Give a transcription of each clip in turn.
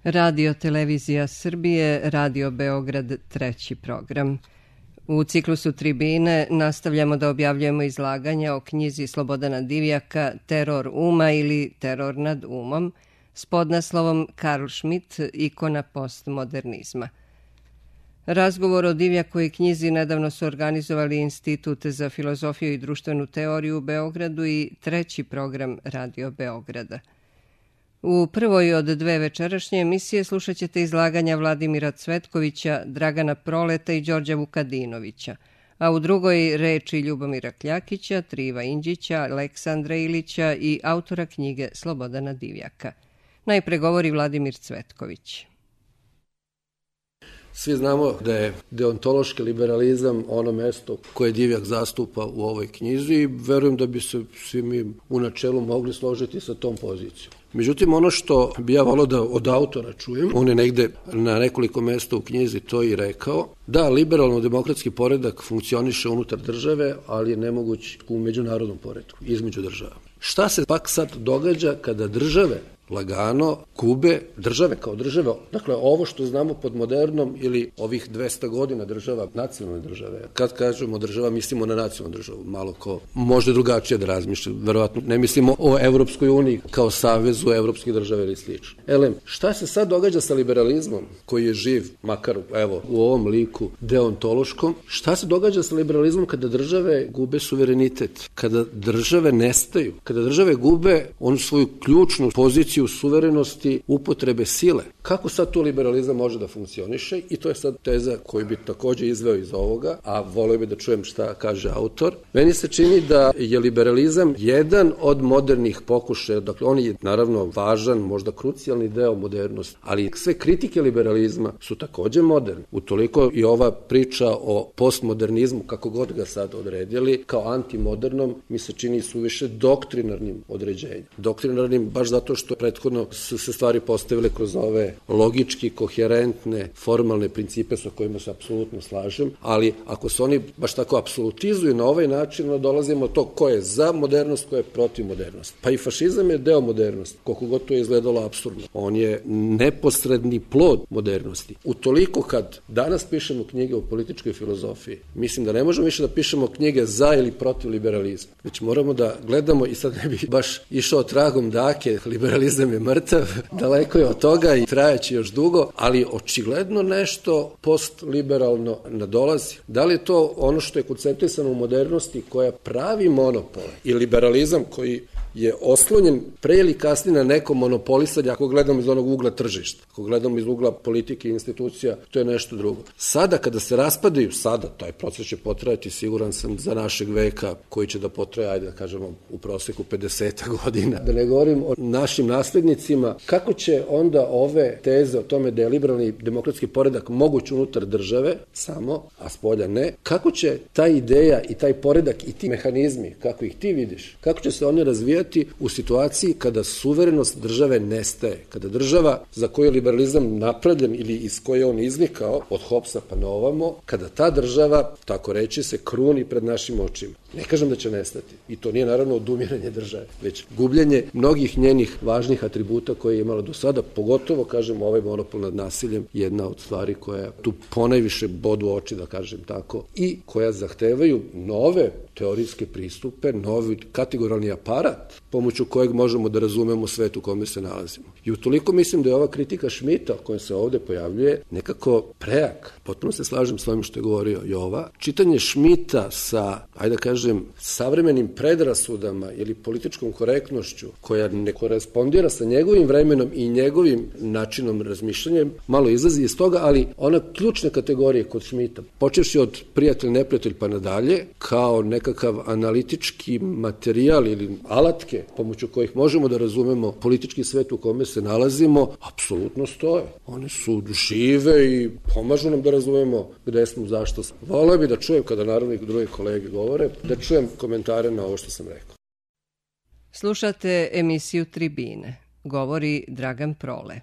Radio Televizija Srbije, Radio Beograd, treći program. U ciklusu Tribine nastavljamo da objavljujemo izlaganja o knjizi Slobodana Divjaka Teror uma ili Teror nad umom s podnaslovom Karl Schmitt, ikona postmodernizma. Razgovor o Divjakovoj knjizi nedavno su organizovali Institut za filozofiju i društvenu teoriju u Beogradu i treći program Radio Beograda. U prvoj od dve večerašnje emisije slušat ćete izlaganja Vladimira Cvetkovića, Dragana Proleta i Đorđa Vukadinovića, a u drugoj reči Ljubomira Kljakića, Triva Indžića, Aleksandra Ilića i autora knjige Slobodana Divjaka. Najpre govori Vladimir Cvetković. Svi znamo da je deontološki liberalizam ono mesto koje Divjak zastupa u ovoj knjizi i verujem da bi se svi mi u načelu mogli složiti sa tom pozicijom. Međutim, ono što bi ja volio da od autora čujem, on je negde na nekoliko mesta u knjizi to i rekao, da liberalno-demokratski poredak funkcioniše unutar države, ali je nemoguć u međunarodnom poredku, između država. Šta se pak sad događa kada države lagano gube, države kao države, dakle ovo što znamo pod modernom ili ovih 200 godina država, nacionalne države. Kad kažemo država, mislimo na nacionalnu državu, malo ko može drugačije da razmišlja, verovatno ne mislimo o Evropskoj uniji kao savezu evropskih država ili slično. Šta se sad događa sa liberalizmom koji je živ, makar evo u ovom liku deontološkom, šta se događa sa liberalizmom kada države gube suverenitet, kada države nestaju, kada države gube onu svoju ključnu poziciju suverenosti upotrebe sile. Kako sad tu liberalizam može da funkcioniše? I to je sad teza koju bi takođe izveo iz ovoga, a volio bi da čujem šta kaže autor. Meni se čini da je liberalizam jedan od modernih pokušaja, dakle on je naravno važan, možda krucijalni deo modernosti, ali sve kritike liberalizma su takođe moderne. Utoliko i ova priča o postmodernizmu, kako god ga sad odredili, kao antimodernom, mi se čini suviše doktrinarnim određenjem. Doktrinarnim baš zato što prethodno su se stvari postavile kroz ove logički, koherentne, formalne principe sa kojima se apsolutno slažem, ali ako se oni baš tako apsolutizuju na ovaj način, onda dolazimo to ko je za modernost, ko je protiv modernosti. Pa i fašizam je deo modernosti, koliko god to je izgledalo apsurdno. On je neposredni plod modernosti. Utoliko kad danas pišemo knjige o političkoj filozofiji, mislim da ne možemo više da pišemo knjige za ili protiv liberalizma, već moramo da gledamo, i sad ne bi baš išao tragom dake, liberalizam je mrtav, daleko je od toga i trajaće još dugo, ali očigledno nešto postliberalno nadolazi. Da li je to ono što je koncentrisano u modernosti koja pravi monopole i liberalizam koji je oslonjen pre ili kasnije na neko monopolisanje, ako gledamo iz onog ugla tržišta, ako gledamo iz ugla politike i institucija, to je nešto drugo. Sada kada se raspadaju, taj proces će potrajati, siguran sam, za našeg veka, koji će da potraje, ajde da kažemo, u proseku 50 godina. Da ne govorim o našim naslednicima, kako će onda ove teze o tome da je liberalni demokratski poredak moguć unutar države, samo, a spolja ne, kako će ta ideja i taj poredak i ti mehanizmi, kako ih ti vidiš, kako će se oni razvijati u situaciji kada suverenost države nestaje, kada država za koju je liberalizam napravljen ili iz koje on iznikao, od Hobsa pa na ovamo, kada ta država, tako reći, se kruni pred našim očima. Ne kažem da će nestati. I to nije naravno odumiranje države, već gubljenje mnogih njenih važnih atributa koje je imala do sada, pogotovo, kažem, ovaj monopol nad nasiljem, jedna od stvari koja tu ponajviše bodu oči, da kažem tako, i koja zahtevaju nove teorijske pristupe, novi kategorijalni aparat pomoću kojeg možemo da razumemo svet u kome se nalazimo. I utoliko mislim da je ova kritika Schmitta koja se ovde pojavljuje nekako prejak. Potpuno se slažem s ovim što je govorio Jova. Čitanje Schmitta sa, ajde da kažem, savremenim predrasudama ili političkom korektnošću koja ne korespondira sa njegovim vremenom i njegovim načinom razmišljanja, malo izlazi iz toga, ali ona ključne kategorije kod Schmitta, počevši od prijatelj, neprijatelj pa nadalje, kao nekakav analitički materijal ili alatke pomoću kojih možemo da razumemo politički svet u kome se nalazimo, apsolutno stoje. One su žive i pomažu nam da razumemo gde smo, zašto smo. Voleo bi da čujem, kada naravno i druge kolege govore, da čujem komentare na ovo što sam rekao. Slušate emisiju Tribine. Govori Dragan Prole.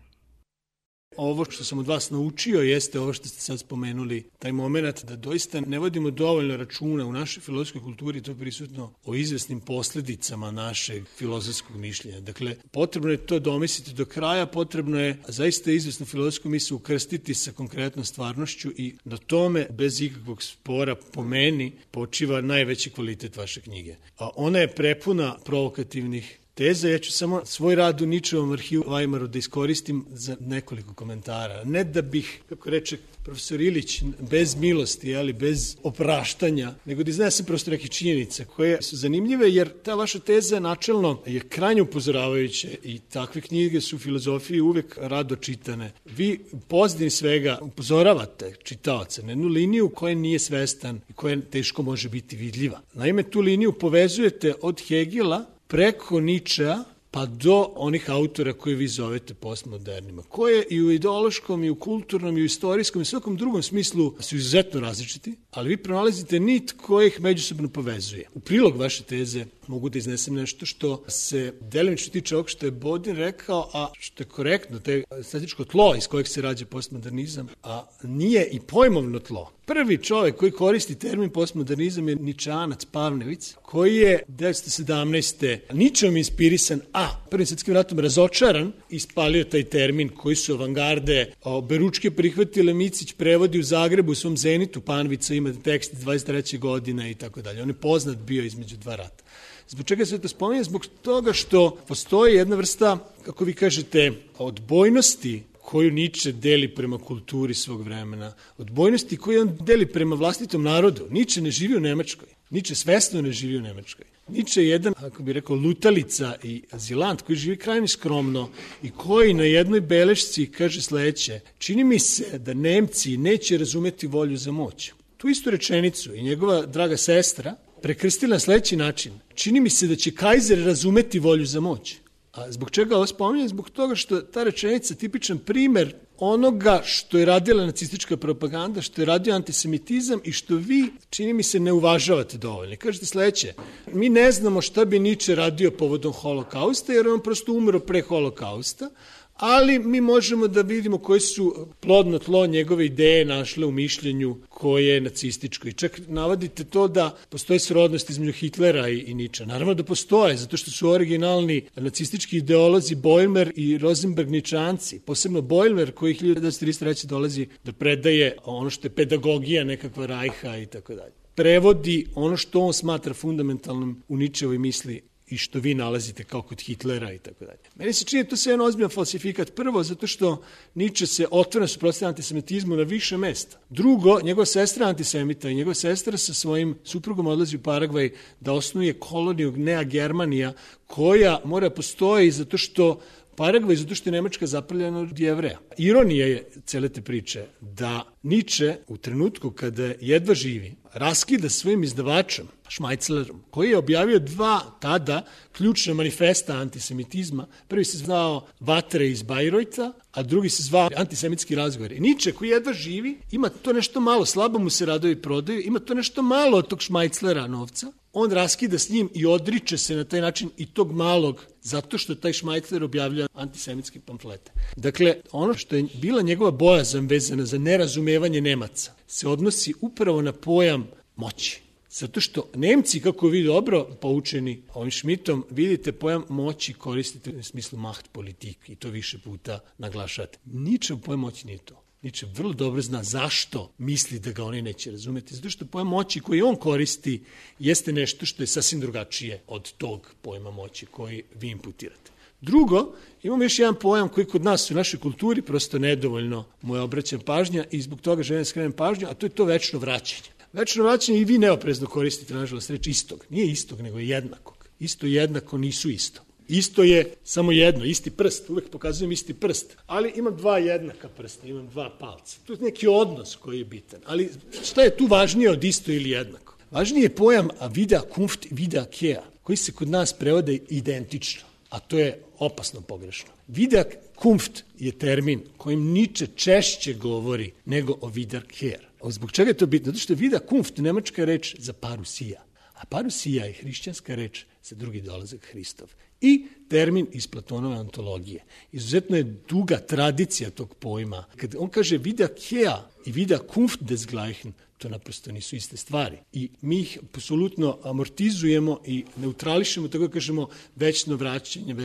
ovo što sam od vas naučio jeste ovo što ste sad spomenuli, taj moment da doista ne vodimo dovoljno računa u našoj filozofskoj kulturi, to je prisutno o izvesnim posledicama našeg filozofskog mišljenja. Dakle, potrebno je to domisliti do kraja, potrebno je zaista izvesnu filozofsku mislu ukrstiti sa konkretnom stvarnošću i na tome, bez ikakvog spora, po meni, počiva najveći kvalitet vaše knjige. A ona je prepuna provokativnih teza. Ja ću samo svoj rad u Ničevom arhivu u Weimaru da iskoristim za nekoliko komentara. Ne da bih, kako reče profesor Ilić, bez milosti, ali bez opraštanja, nego da iznesem prosto neke činjenice koje su zanimljive, jer ta vaša teza načelno je krajnje upozoravajuće i takve knjige su u filozofiji uvek rado čitane. Vi u pozadini svega upozoravate čitaoca na jednu liniju koja nije svestan i koja teško može biti vidljiva. Naime, tu liniju povezujete od Hegela preko Ničea pa do onih autora koje vi zovete postmodernima, koje i u ideološkom, i u kulturnom, i u istorijskom, i svakom drugom smislu su izuzetno različiti, ali vi pronalazite nit koja ih međusobno povezuje. U prilog vaše teze mogu da iznesem nešto što se delimično tiče ovog što je Bodin rekao, a što je korektno, to je estetičko tlo iz kojeg se rađa postmodernizam, a nije i pojmovno tlo. Prvi čovjek koji koristi termin postmodernizam je Ničeanac Pavnević, koji je 1917. Ničeom inspirisan, a Prvim svjetskim ratom razočaran, ispalio taj termin koji su avangarde oberučke prihvatile. Micić prevodi u Zagrebu u svom Zenitu, Panvica ima tekst 23. godina i tako dalje. On je poznat bio između dva rata. Zbog čega se to spominje? Zbog toga što postoji jedna vrsta, kako vi kažete, odbojnosti koju Niče deli prema kulturi svog vremena, odbojnosti koju on deli prema vlastitom narodu. Niče ne živi u Nemačkoj. Niče svesno ne živi u Nemačkoj. Niče je jedan, ako bih rekao, lutalica i azilant koji živi krajnje skromno i koji na jednoj belešci kaže sledeće: čini mi se da Nemci neće razumeti volju za moć. Tu istu rečenicu i njegova draga sestra prekrstila na sledeći način: čini mi se da će Kajzer razumeti volju za moć. A zbog čega ovo spominjem? Zbog toga što ta rečenica tipičan primer onoga što je radila nacistička propaganda, što je radio antisemitizam i što vi, čini mi se, ne uvažavate dovoljno. Kažete sledeće: mi ne znamo šta bi Niče radio povodom holokausta, jer on prosto umro pre holokausta, ali mi možemo da vidimo koji su plodno tlo njegove ideje našle u mišljenju koje je nacističko. I čak navodite to da postoji srodnost između Hitlera i Niča. Naravno da postoje, zato što su originalni nacistički ideolozi Boilmer i Rosenberg Ničanci, posebno Boilmer koji 1933. dolazi da predaje ono što je pedagogija nekakva Rajha i tako dalje. Prevodi ono što on smatra fundamentalnom u Ničevoj misli i što vi nalazite kao kod Hitlera i tako dalje. Meni se čini to sve jedan ozbiljan falsifikat. Prvo, zato što Niče se otvoreno suprotstavlja antisemitizmu na više mesta. Drugo, njegova sestra antisemita i njegova sestra sa svojim suprugom odlazi u Paragvaj da osnuje koloniju Nea Germanija, koja mora postoji zato što Paragvaj, zato što je Nemačka zapravljena od Jevreja. Ironija je cele te priče da Niče u trenutku kada jedva živi raskida svojim izdavačem Šmajclerom, koji je objavio dva tada ključna manifesta antisemitizma. Prvi se zvao Vatre iz Bajrojta, a drugi se zvao Antisemitski razgovor. Niče koji jedva živi, ima to nešto malo, slabo mu se radovi prodaju, ima to nešto malo od tog Šmajclera novca, on raskida s njim i odriče se na taj način i tog malog, zato što taj Šmajcler objavlja antisemitske pamflete. Dakle, ono što je bila njegova bojazan vezana za nerazumevanje Nemaca se odnosi upravo na pojam moći. Zato što Nemci, kako vi dobro poučeni ovim Schmidtom, vidite pojam moći koristite u smislu macht politik i to više puta naglašate. Ničem pojam moći nije to. Niče vrlo dobro zna zašto misli da ga oni neće razumeti. Zato što pojam moći koji on koristi jeste nešto što je sasvim drugačije od tog pojma moći koji vi imputirate. Drugo, imamo još jedan pojam koji kod nas u našoj kulturi prosto nedovoljno mu je obraćam pažnja i zbog toga želim da skrenem pažnju, a to je to večno vraćanje. Večno vraćanje i vi neoprezno koristite, nažalost, reč istog. Nije istog, nego je jednakog. Isto i jednako nisu isto. Isto je samo jedno, isti prst, uvek pokazujem isti prst, ali imam dva jednaka prsta, imam dva palca. Tu je neki odnos koji je bitan, ali šta je tu važnije od isto ili jednako? Važnije je pojam vida Kunft, vida Kehr, koji se kod nas prevode identično, a to je opasno pogrešno. Vida Kunft je termin kojim Niče češće govori nego o vida Kehr. Zbog čega je to bitno? Zato što vida Kunft, nemačka reč za parusija. A parusija je hrišćanska reč za drugi dolazak Hristov. I termin iz Platonove antologije. Izuzetno je duga tradicija tog pojma. Kad on kaže wiederkehr i wiederkunft desgleichen, to naprosto nisu iste stvari. I mi ih apsolutno amortizujemo i neutrališemo, tako da kažemo večno vraćanje,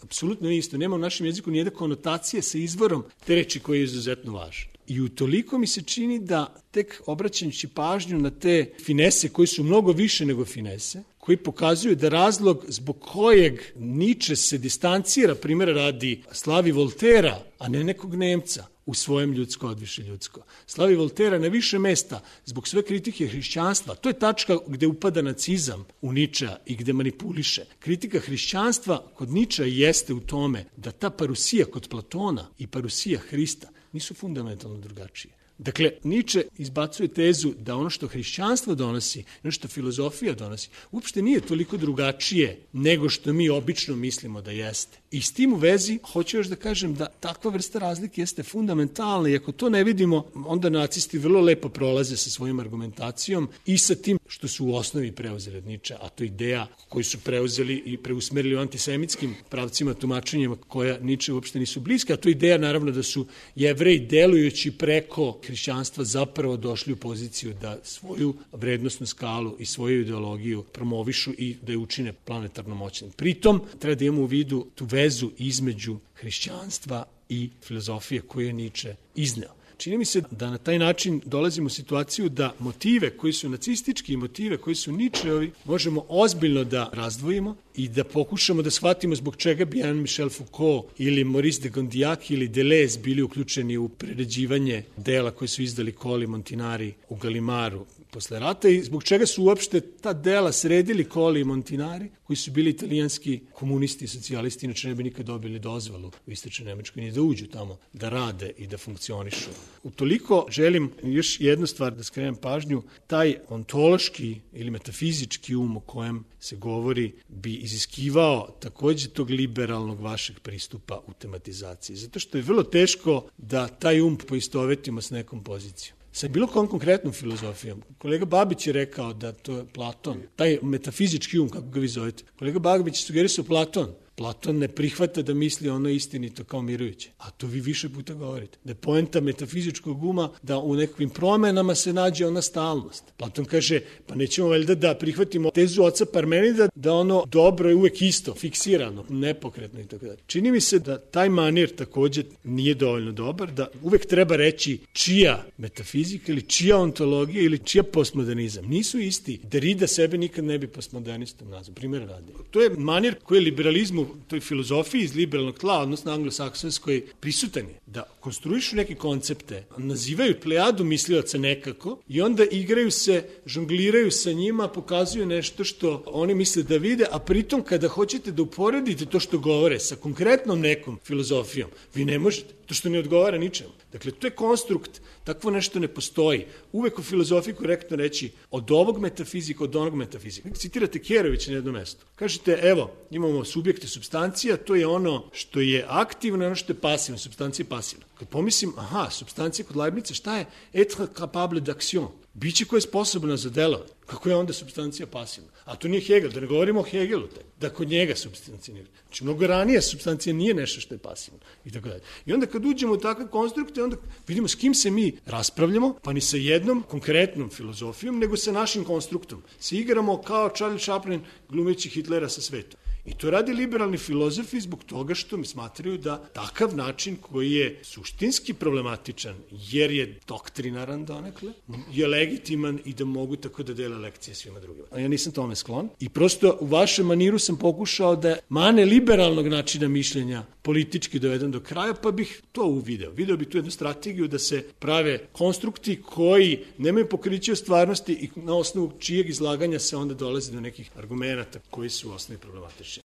apsolutno nije isto. Nema u našem jeziku nijedne konotacije sa izvorom te reči koji je izuzetno važan. I utoliko mi se čini da tek obraćajući pažnju na te finese koji su mnogo više nego finese, koji pokazuju da razlog zbog kojeg Nietzsche se distancira, primjera radi, slavi Voltera, a ne nekog Nemca, u svojem ljudsko odviše ljudsko. Slavi Voltera na više mesta zbog sve kritike hrišćanstva. To je tačka gde upada nacizam u Nietzschea i gde manipuliše. Kritika hrišćanstva kod Nietzschea jeste u tome da ta parusija kod Platona i parusija Hrista nisu fundamentalno drugačije. Dakle, Nietzsche izbacuje tezu da ono što hrišćanstvo donosi, ono što filozofija donosi, uopšte nije toliko drugačije nego što mi obično mislimo da jeste. I s tim u vezi, hoću još da kažem da takva vrsta razlike jeste fundamentalna i ako to ne vidimo, onda nacisti vrlo lepo prolaze sa svojom argumentacijom i sa tim što su u osnovi preuzeli od Nietzschea, a to je ideja koju su preuzeli i preusmerili u antisemitskim pravcima, tumačenjima koja Nietzsche uopšte nisu bliska, a to je ideja naravno da su Jevreji delujući preko hrišćanstva zapravo došli u poziciju da svoju vrednostnu skalu i svoju ideologiju promovišu i da je učine planetarno moćnim. Pritom treba da imamo u vidu tu vezu između hrišćanstva i filozofije koju je Nietzsche izneo. Čini mi se da na taj način dolazimo u situaciju da motive koji su nacistički i motive koji su Nietzscheovi možemo ozbiljno da razdvojimo i da pokušamo da shvatimo zbog čega bi Jean Michel Foucault ili Maurice de Condillac ili Deleuze bili uključeni u preređivanje dela koje su izdali Colli Montinari u Galimaru posle rata i zbog čega su uopšte ta dela sredili Colli i Montinari, koji su bili italijanski komunisti i socijalisti, inače ne bi nikad dobili dozvolu u Istočnoj Nemačkoj, ni da uđu tamo, da rade i da funkcionišu. Utoliko želim još jednu stvar da skrenem pažnju, taj ontološki ili metafizički um o kojem se govori bi iziskivao takođe tog liberalnog vašeg pristupa u tematizaciji, zato što je vrlo teško da taj um poistovetimo s nekom pozicijom. Sa bilo kom konkretnom filozofijom. Kolega Babić je rekao da to je Platon, taj metafizički um, kako ga vi zovete. Kolega Babić je sugerisao Platon. Platon ne prihvata da misli ono istinito kao mirujuće. A to vi više puta govorite. Da je poenta metafizičkog uma da u nekakvim promenama se nađe ona stalnost. Platon kaže, pa nećemo valjda da prihvatimo tezu oca Parmenida da ono dobro je uvek isto, fiksirano, nepokretno i tako dalje. Čini mi se da taj manir takođe nije dovoljno dobar, da uvek treba reći čija metafizika ili čija ontologija ili čija postmodernizam. Nisu isti. Derrida sebe nikad ne bi postmodernistom nazvao. Primjer radi. To je manir koji je liberalizmu toj filozofiji iz liberalnog tla, odnosno anglosaksonskoj, prisutan je. Da konstruišu neke koncepte, nazivaju plejadu mislioca nekako i onda igraju se, žongliraju sa njima, pokazuju nešto što oni misle da vide, a pritom kada hoćete da uporedite to što govore sa konkretnom nekom filozofijom, vi ne možete. To što ne odgovara ničemu. Dakle, to je konstrukt, takvo nešto ne postoji. Uvek u filozofiji korektno reći od ovog metafizika, od onog metafizika. Citirate Kerovića na jednom mestu. Kažete, evo, imamo subjekte supstancija, to je ono što je aktivno, ono što je pasivno, supstancija je pasivna. Kad pomislim, supstancija kod Leibnica, šta je? Être capable d'action. Biće koje je sposobno za delovanje. Kako je onda supstancija pasivna? A to nije Hegel, da ne govorimo o Hegelu, da kod njega supstancija nije. Znači, mnogo ranije supstancija nije nešto što je pasivno. I tako dalje. I onda kad uđemo u takve konstrukte, onda vidimo s kim se mi raspravljamo, pa ni sa jednom konkretnom filozofijom, nego sa našim konstruktom. Se igramo kao Charlie Chaplin glumeći Hitlera sa svetom. I to radi liberalni filozofi zbog toga što mi smatraju da takav način koji je suštinski problematičan, jer je doktrinaran donekle, je legitiman i da mogu tako da dele lekcije svima drugima. A ja nisam tome sklon. I prosto u vašem maniru sam pokušao da mane liberalnog načina mišljenja politički dovedem do kraja, pa bih to uvideo. Video bih tu jednu strategiju da se prave konstrukti koji nemaju pokriće u stvarnosti i na osnovu čijeg izlaganja se onda dolazi do nekih argumenata koji su u osnovi problematični.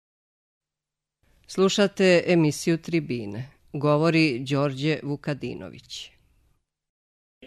Slušate emisiju Tribine. Govori Đorđe Vukadinović.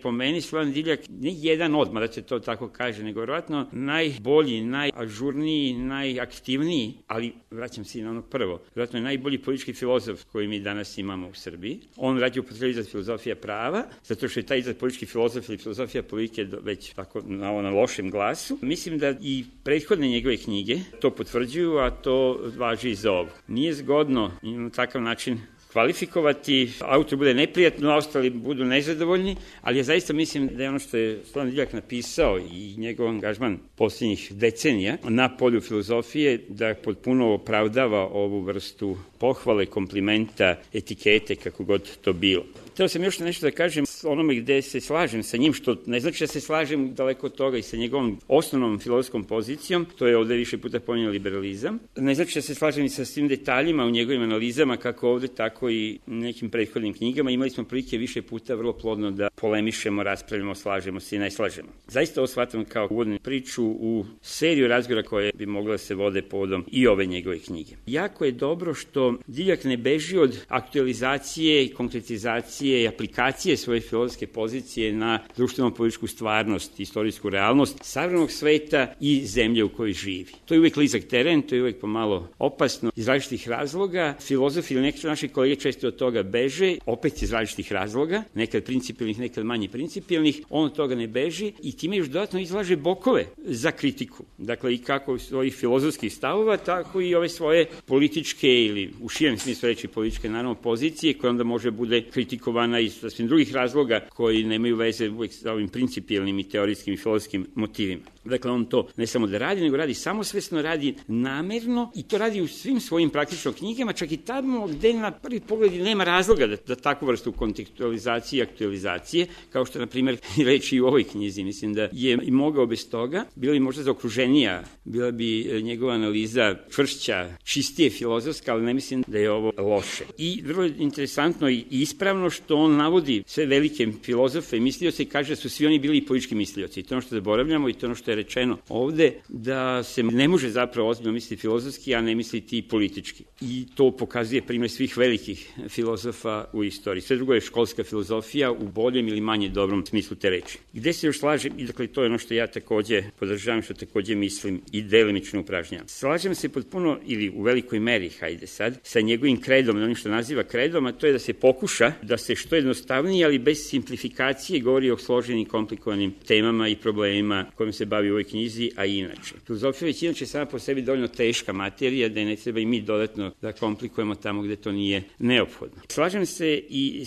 po meni Slobodan Divljak ne jedan odmah, da se to tako kaže, nego vjerojatno najbolji, najažurniji, najaktivniji, ali vraćam se i na ono prvo, vjerojatno je najbolji politički filozof koji mi danas imamo u Srbiji. On radi upotrebi izraz filozofija prava, zato što je taj izraz politički filozof ili filozofija politike već tako na lošem glasu. Mislim da i prethodne njegove knjige to potvrđuju, a to važi i za ovo. Nije zgodno na takav način kvalifikovati, autor bude neprijatno, a ostali budu nezadovoljni, ali ja zaista mislim da je ono što je Slobodan Divljak napisao i njegov angažman posljednjih decenija na polju filozofije, da potpuno opravdava ovu vrstu pohvale, komplimenta, etikete, kako god to bilo. Htio sam još nešto da kažem onome gde se slažem sa njim, što ne znači da se slažem daleko od toga i sa njegovom osnovnom filozofskom pozicijom, to je ovde više puta pominjao liberalizam. Ne znači da se slažem i sa svim detaljima u njegovim analizama, kako ovde, tako i nekim prethodnim knjigama. Imali smo prilike više puta vrlo plodno da polemišemo, raspravljamo, slažemo se i ne slažemo. Zaista ovo shvatam kao uvodnu priču u seriju razgovora koje bi mogle da se vode povodom i ove njegove knjige. Jako je dobro što Divljak ne beži od aktualizacije i konkretizacije i aplikacije svoje filozofske pozicije na društveno-političku stvarnost, istorijsku realnost savremenog sveta i zemlje u kojoj živi. To je uvek blizak teren, to je uvek pomalo opasno iz različitih razloga. Filozofi ili neki naši kolege često od toga beže, opet iz različitih razloga, nekad principijelnih, nekad manje principijelnih, on od toga ne beži i time još dodatno izlaže bokove za kritiku. Dakle, i kako svojih filozofskih stavova, tako i ove svoje političke ili u širem smislu reći političke, naravno, pozicije koja onda može bude kritikovana iz sasvim drugih razloga koji nemaju veze uvek sa ovim principijelnim i teorijskim i filozofskim motivima. Dakle, on to ne samo da radi, nego radi samosvesno, radi namerno i to radi u svim svojim praktično knjigama, čak i tamo gde na prvi pogled nema razloga da takvu vrstu kontekstualizacije i aktualizacije, kao što, na primjer, reći i u ovoj knjizi. Mislim da je i mogao bez toga, bila bi možda zaokruženija, bila bi njegova analiza čvršća, čistije filozofska, ali ne mislim da je ovo loše. I vrlo interesantno i ispravno što on navodi sve velike filozofe i mislioce i kaže da su svi oni bili politički mislioci. I to ono što zaboravljamo i to ono što je rečeno ovde, da se ne može zapravo ozbiljno misliti filozofski, a ne misliti politički. I to pokazuje primjer svih velikih filozofa u istoriji. Sve drugo je školska filozofija u boljem ili manje dobrom smislu te reči. Gde se još slažem, i dakle to je ono što ja takođe podržavam, što takođe mislim i delimično upražnjavam. Slažem se potpuno ili u velikoj meri, hajde sad, sa njegovim kredom, onim što naziva kredom, a to je da se pokuša da se što jednostavnije, ali bez simplifikacije govori o složenim, komplikovanim temama i problemima kojim se bavi u ovoj knjizi, a i inače. Filozofija već inače sama po sebi dovoljno teška materija, da je ne treba i mi dodatno da komplikujemo tamo gde to nije neophodno. Slažem se i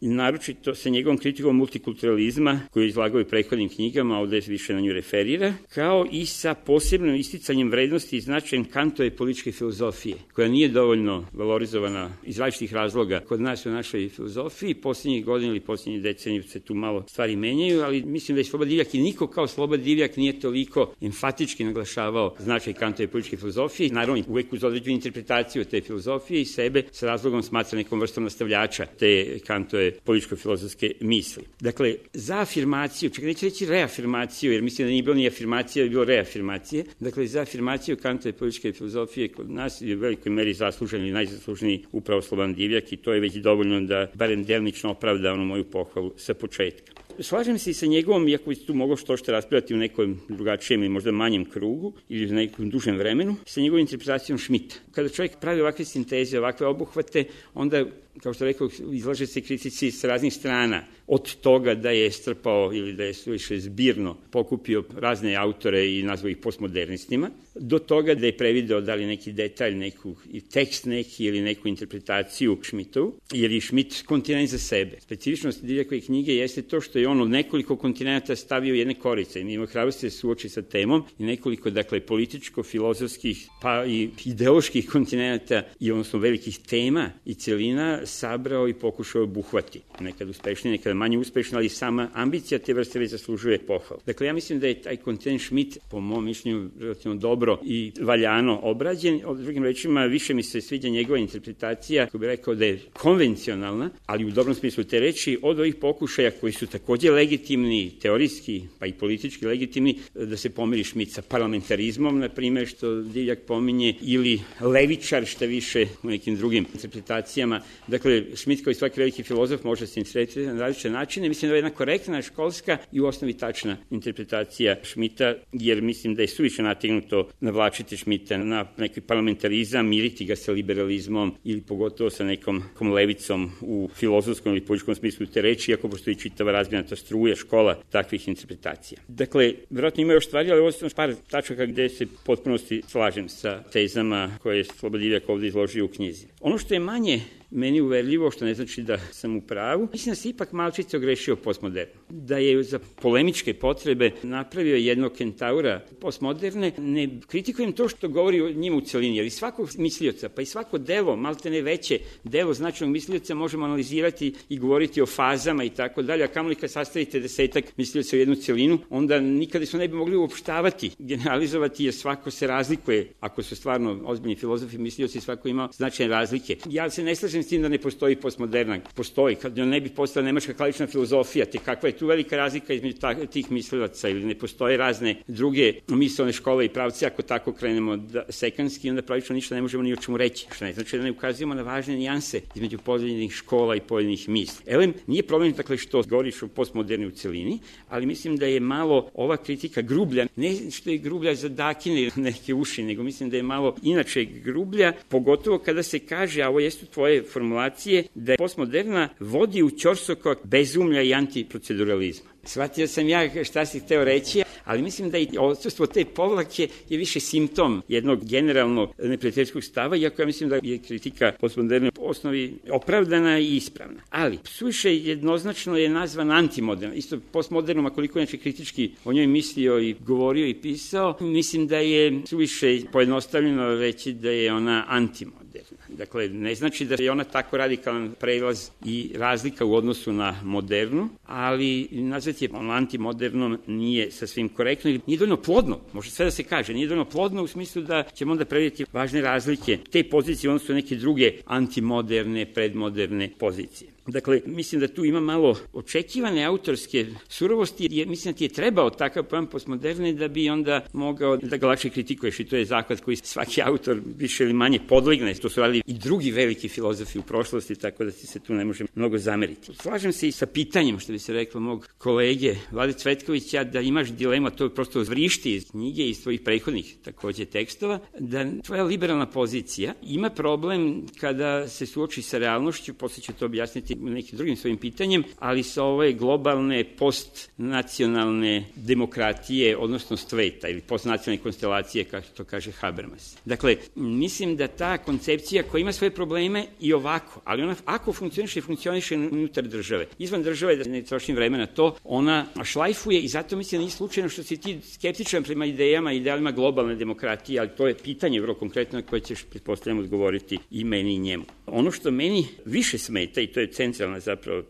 naročito sa njegovom kritikom multikulturalizma, koju je izlagao i prethodnim knjigama, ovde više na nju referira, kao i sa posebnim isticanjem vrednosti i značajem Kantove političke filozofije, koja nije dovoljno valorizovana iz različitih razloga kod nas u našoj filozofiji. Poslednjih godina ili poslednjih decenija se tu malo stvari menjaju, ali mislim da je Slobodan Divljak i niko kao Slobodan Divljak nije toliko enfatički naglašavao značaj Kantove političke filozofije. Naravno, uvek uz određenu interpretaciju te filozofije i sebe sa razlogom smatra nekom vrstom nastavljača te Kantove političko-filozofske misli. Dakle, za afirmaciju, čak neću reći reafirmaciju, jer mislim da nije bilo ni afirmacija, da je bilo reafirmacije. Dakle, za afirmaciju Kantove političke filozofije kod nas je u velikoj meri zaslužen ili najzasluženiji upravo Slobodan Divljak i to je već dovoljno da barem delnično opravda onu moju pohvalu sa početka. Slažem se i sa njegovom, iako bi tu moglo što raspravljati u nekom drugačijem ili možda manjem krugu ili u nekom dužem vremenu, sa njegovom interpretacijom Schmidta. Kada čovjek pravi ovakve sinteze, ovakve obuhvate, onda, kao što rekao, izlaže se kritici sa raznih strana. Od toga da je strpao ili da je suviše zbirno pokupio razne autore i nazvao ih postmodernistima, do toga da je prevideo da li neki detalj, i tekst neki ili neku interpretaciju Schmidtovu, jer je Schmidt kontinent za sebe. Specifičnost Divljakove knjige jeste to što je on od nekoliko kontinenta stavio jedne korice i ima hrabrosti se suoči sa temom i nekoliko, dakle, političko-filozofskih pa i ideoloških kontinenta i odnosno velikih tema i celina sabrao i pokušao obuhvati. Nekad uspešnije, nekad manje uspešno, ali sama ambicija te vrste već zaslužuje pohvalu. Dakle, ja mislim da je taj kontinent Schmidt, po mom mišljenju, relativno dobro i valjano obrađen. O drugim rečima, više mi se sviđa njegova interpretacija, ko bih rekao da je konvencionalna, ali u dobrom smislu te reči, od ovih pokušaja koji su takođe legitimni, teorijski, pa i politički legitimni, da se pomiri Schmidt sa parlamentarizmom, na primjer, što Divljak pominje, ili levičar, šta više u nekim drugim interpretacijama. Dakle, Dakle, Schmitt kao i svaki veliki filozof može se interpretirati na različite načine. Mislim da je jedna korektna, školska i u osnovi tačna interpretacija Schmitta, jer mislim da je suviše nategnuto navlačiti Schmitta na neki parlamentarizam, miriti ga sa liberalizmom ili pogotovo sa nekom levicom u filozofskom ili političkom smislu te reči, iako postoji čitava razgranata struja, škola takvih interpretacija. Dakle, vjerojatno ima još stvari, ali ovo su par tačaka gde se potpunosti slažem sa tezama koje je Slobodivljak ovde izložio u knjizi. Ono što je manje meni uverljivo, što ne znači da sam u pravu, mislim da se ipak malčice ogrešio postmoderno. Da je za polemičke potrebe napravio jednog kentaura postmoderne. Ne kritikujem to što govori o njima u celini, jer i svakog mislioca, pa i svako delo, malte ne veće delo značajnog mislioca možemo analizirati i govoriti o fazama i tako dalje, a kamoli kad sastavite 10 mislioca u jednu celinu, onda nikada se ne bi mogli uopštavati, generalizovati, jer svako se razlikuje, ako su stvarno ozbiljni filozofi, mislioci, svako ima značajne razlike. Ja se ne slažem s tim da ne postoji postmoderna. Postoji, kad ne bi postala nemačka klasična filozofija, te kakva je tu velika razlika između tih mislilaca, ili ne postoje razne druge mislene škole i pravce, ako tako krenemo sekanski, onda pravično ništa ne možemo ni o čemu reći. Što ne znači da ne ukazujemo na važne nijanse između pojedinih škola i pojedinih misli. Elem, nije problem dakle što govoriš o postmoderni u celini, ali mislim da je malo ova kritika grublja, ne što je grublja za dakine neke uši, nego mislim da je malo inače grublja, pogotovo kada se kaže, a ovo jesu tvoje formulacije, da je postmoderna vodi u ćorsokak bezumlja i antiproceduralizma. Shvatio sam ja šta si hteo reći, ali mislim da i odsustvo te povlake je više simptom jednog generalnog neprijateljskog stava, iako ja mislim da je kritika postmoderne po osnovi opravdana i ispravna. Ali suviše jednoznačno je nazvan antimoderna. Isto postmodernom, a koliko inače kritički o njoj mislio i govorio i pisao, mislim da je suviše pojednostavljeno reći da je ona antimoderna. Dakle, ne znači da je ona tako radikalan prelaz i razlika u odnosu na modernu, ali nazvati je antimodernom nije sasvim korektno ili nije dovoljno plodno, može sve da se kaže, nije dovoljno plodno u smislu da ćemo onda predvidjeti važne razlike te pozicije u odnosu na neke druge antimoderne, predmoderne pozicije. Dakle, mislim da tu ima malo očekivane autorske surovosti, jer mislim da ti je trebao takav pojam postmoderne da bi onda mogao da ga lakše kritikuješ i to je zahvat koji svaki autor više ili manje podlegne. To su radili i drugi veliki filozofi u prošlosti, tako da ti se tu ne može mnogo zameriti. Slažem se i sa pitanjem, što bi se reklo, mog kolege Vlade Cvetkovića, da imaš dilema, to prosto vrišti iz knjige i iz tvojih prethodnih takođe tekstova, da tvoja liberalna pozicija ima problem kada se suoči sa realnošću, posle ću to objasniti nekim drugim svojim pitanjem, ali sa ove globalne postnacionalne demokratije, odnosno sveta ili postnacionalne konstelacije, kako to kaže Habermas. Dakle, mislim da ta koncepcija koja ima svoje probleme i ovako, ali ona ako funkcioniše unutar države. Izvan države, da ne trošim vreme na to, ona šlajfuje i zato mislim da nije slučajno što si ti skeptičan prema idejama i idealima globalne demokratije, ali to je pitanje vrlo konkretno na koje ćeš, pretpostavljam, odgovoriti i meni i njemu. Ono što meni više smeta, i to je centralna zapravo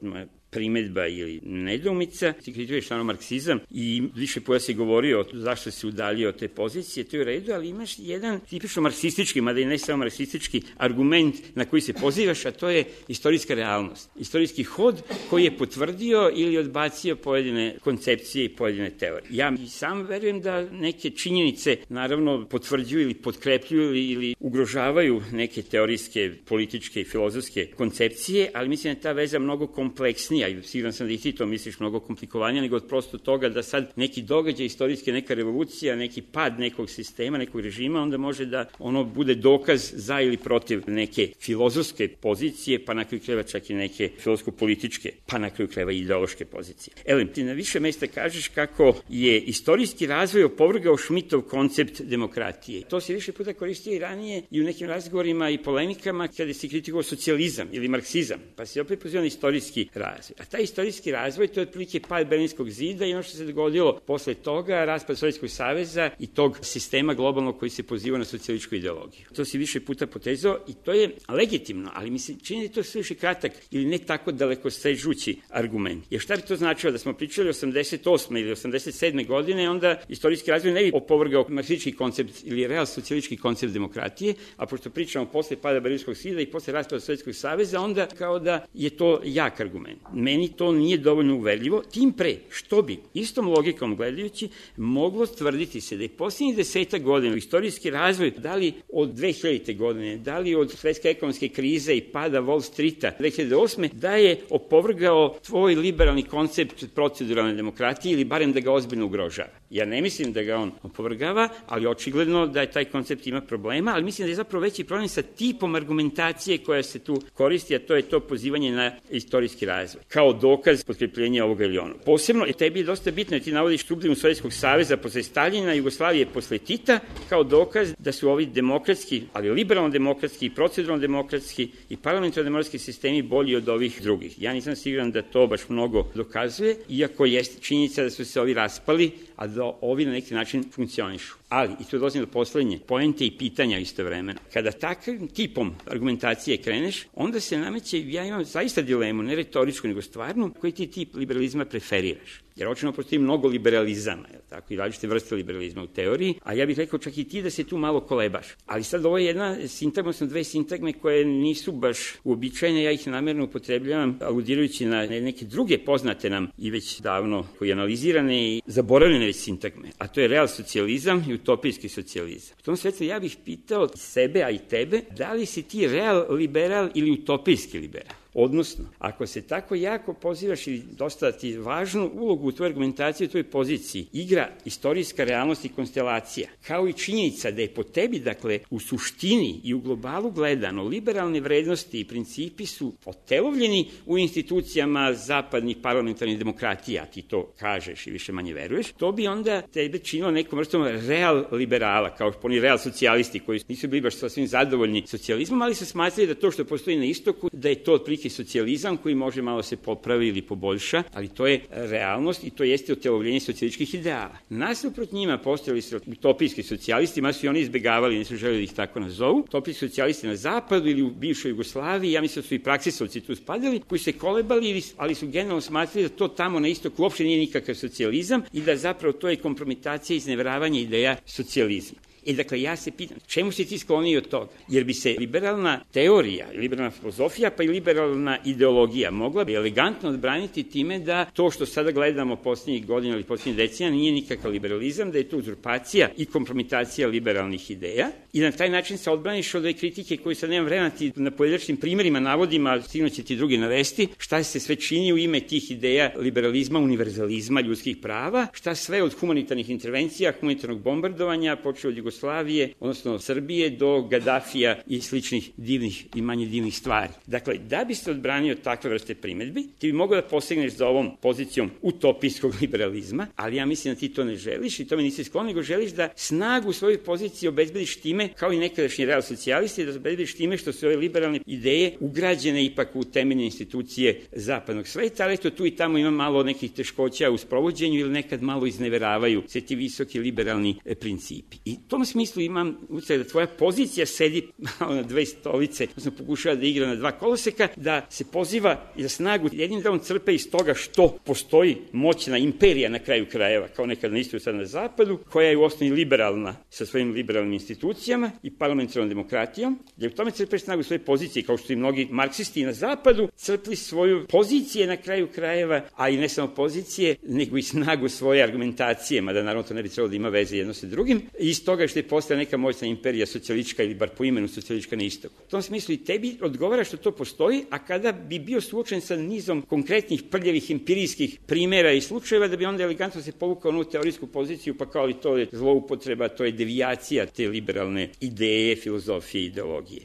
primedba ili nedoumica, ti kritikuješ samo marksizam i više puta si govorio zašto se udaljio od te pozicije, to je u redu, ali imaš jedan tipično marksistički, mada i ne samo marksistički argument na koji se pozivaš, a to je istorijska realnost. Istorijski hod koji je potvrdio ili odbacio pojedine koncepcije i pojedine teorije. Ja i sam verujem da neke činjenice naravno potvrđuju ili potkrepljuju ili ugrožavaju neke teorijske, političke i filozofske koncepcije, ali mislim da je ta veza mnogo kompleksnija i siguran sam da i ti to misliš mnogo komplikovanija nego od prosto toga da sad neki događaj istorijski, neka revolucija, neki pad nekog sistema, nekog režima, onda može da ono bude dokaz za ili protiv neke filozofske pozicije, pa na kraju krajeva čak i neke filozofsko-političke, pa na kraju krajeva i ideološke pozicije. Elem, ti na više mesta kažeš kako je istorijski razvoj opovrgao Schmittov koncept demokratije. To se više puta koristio i ranije i u nekim razgovorima i polemikama kada se kritikovao socijalizam ili marksizam, pa se opet pozivao na istorijski razvoj. A taj istorijski razvoj, to je otprilike pad Berlinskog zida i ono što se dogodilo posle toga, raspad Sovjetskog saveza i tog sistema globalnog koji se poziva na socijalističku ideologiju. To si više puta potezao i to je legitimno, ali mi se čini da je to sve više kratak ili ne tako daleko sežući argument. Jer šta bi to značilo da smo pričali 88. ili 87. godine, onda istorijski razvoj ne bi opovrgao marksistički koncept ili real socijalistički koncept demokratije, a pošto pričamo posle pada Berlinskog zida i posle raspada Sovjetskog saveza, onda kao da je to jak argument. meni to nije dovoljno uverljivo, tim pre što bi istom logikom gledajući moglo tvrditi se da je posljednjih 10 godina istorijski razvoj, da li od 2000. godine, da li od svetske ekonomske krize i pada Wall Streeta 2008. da je opovrgao tvoj liberalni koncept proceduralne demokratije ili barem da ga ozbiljno ugrožava. Ja ne mislim da ga on opovrgava, ali očigledno da je taj koncept ima problema, ali mislim da je zapravo veći problem sa tipom argumentacije koja se tu koristi, a to je to pozivanje na istorijski razvoj, kao dokaz potkrepljenja ovoga ili onog. Posebno, tebi je dosta bitno, ti navodiš sublimu Sovjetskog saveza posle Staljina, Jugoslavije posle Tita, kao dokaz da su ovi demokratski, ali liberalno-demokratski, proceduralno-demokratski i parlamentarno-demokratski sistemi bolji od ovih drugih. Ja nisam siguran da to baš mnogo dokazuje, iako jeste činjenica da su se ovi raspali, a da ovi na neki način funkcionišu. Ali, i tu dolazim do poslednje, poente i pitanja istovremeno. Kada takvim tipom argumentacije kreneš, onda se nameće, ja imam zaista dilemu, ne retoričku, nego stvarnu, koji ti tip liberalizma preferiraš. Jer očino postoji mnogo liberalizama, tako, i različite vrste liberalizma u teoriji, a ja bih rekao čak i ti da se tu malo kolebaš. Ali sad ovo je jedna sintagma, odnosno dve sintagme koje nisu baš uobičajene, ja ih namerno upotrebljavam, aludirajući na neke druge poznate nam i već davno koji analizirane i zaboravljene već sintagme, a to je real socijalizam i utopijski socijalizam. U tom svetlu ja bih pitao sebe, a i tebe, da li si ti real liberal ili utopijski liberal? Odnosno, ako se tako jako pozivaš i dosta ti važnu ulogu u tvojoj argumentaciji, u tvojoj poziciji, igra istorijska realnost i konstelacija, kao i činjenica da je po tebi, dakle, u suštini i u globalu gledano, liberalne vrednosti i principi su otelovljeni u institucijama zapadnih parlamentarnih demokratija, ti to kažeš i više manje veruješ, to bi onda tebe činilo nekom vrstom real liberala, kao oni real socijalisti koji nisu bili baš sasvim zadovoljni socijalizmom, ali se smatrali da to što postoji na istoku, da je to otprilike socijalizam koji može malo se popravi ili poboljša, ali to je realnost i to jeste otelovljenje socijalističkih ideala. Nasuprot njima postojali su utopijski socijalisti, ma su i oni izbegavali, nisu želeli da ih tako nazovu, utopijski socijalisti na zapadu ili u bivšoj Jugoslaviji, ja mislim da su i praksisovci tu spadali, koji se kolebali, ali su generalno smatrali da to tamo na istoku uopšte nije nikakav socijalizam i da zapravo to je kompromitacija i izneveravanje ideja socijalizma. Dakle, ja se pitam, čemu si ti skloniji od toga? Jer bi se liberalna teorija, liberalna filozofija, pa i liberalna ideologija mogla bi elegantno odbraniti time da to što sada gledamo posljednjih godina ili posljednjih decenija nije nikakav liberalizam, da je to uzurpacija i kompromitacija liberalnih ideja i na taj način se odbraniš od ove kritike koju sad nemam vremena ti na pojedinačnim primerima navodim, a sigurno će ti drugi navesti, šta se sve čini u ime tih ideja liberalizma, univerzalizma, ljudskih prava, šta sve od humanitarnih intervencija, humanitarnog bombardovanja, počeo od Jugoslavije, odnosno Srbije, do Gadafija i sličnih divnih i manje divnih stvari. Dakle, da bi se odbranio takve vrste primedbi, ti bi mogao da posegneš za ovom pozicijom utopijskog liberalizma, ali ja mislim da ti to ne želiš i tome nisi sklon, nego želiš da snagu svoje pozicije obezbediš time, kao i nekadašnji real socijalisti, da obezbediš time što su ove liberalne ideje ugrađene ipak u temeljne institucije zapadnog sveta, ali eto tu i tamo ima malo nekih teškoća u sprovođenju ili nekad malo izneveravaju se ti visoki liberalni principi. I u tom smislu imam utisak da tvoja pozicija sedi malo na dve stolice, odnosno pokušava da igra na dva koloseka, da se poziva i da snagu jednim delom crpe iz toga što postoji moćna imperija na kraju krajeva, kao nekad na istoku, sad na zapadu, koja je u osnovi liberalna sa svojim liberalnim institucijama i parlamentarnom demokratijom, jer u tome crpeš snagu svoje pozicije, kao što i mnogi marksisti na zapadu crpli svoju pozicije na kraju krajeva, a i ne samo pozicije, nego i snagu svoje argumentacije, mada naravno to ne bi trebalo da ima veze jedno sa drugim, i iz toga što je postala neka moćna imperija socijalistička ili bar po imenu socijalistička na istoku. U tom smislu i tebi odgovara što to postoji, a kada bi bio suočen sa nizom konkretnih prljavih empirijskih primera i slučajeva, da bi onda elegantno se povukao na teorijsku poziciju, pa kao i to je zloupotreba, to je devijacija te liberalne ideje, filozofije i ideologije.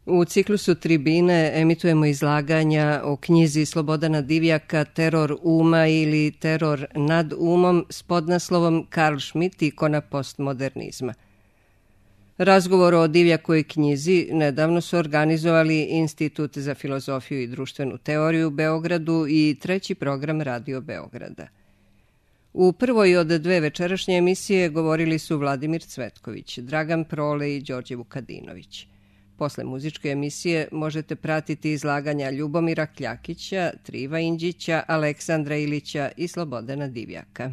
U ciklusu Tribine emitujemo izlaganja o knjizi Slobodana Divjaka Teror uma ili Teror nad umom s podnaslovom Karl Schmitt, ikona postmodernizma. Razgovor o Divjakovoj knjizi nedavno su organizovali Institut za filozofiju i društvenu teoriju u Beogradu i treći program Radio Beograda. U prvoj od dve večerašnje emisije govorili su Vladimir Cvetković, Dragan Prole i Đorđe Vukadinović. Posle muzičke emisije možete pratiti izlaganja Ljubomira Kljakića, Triva Inđića, Aleksandra Ilića i Slobodana Divjaka.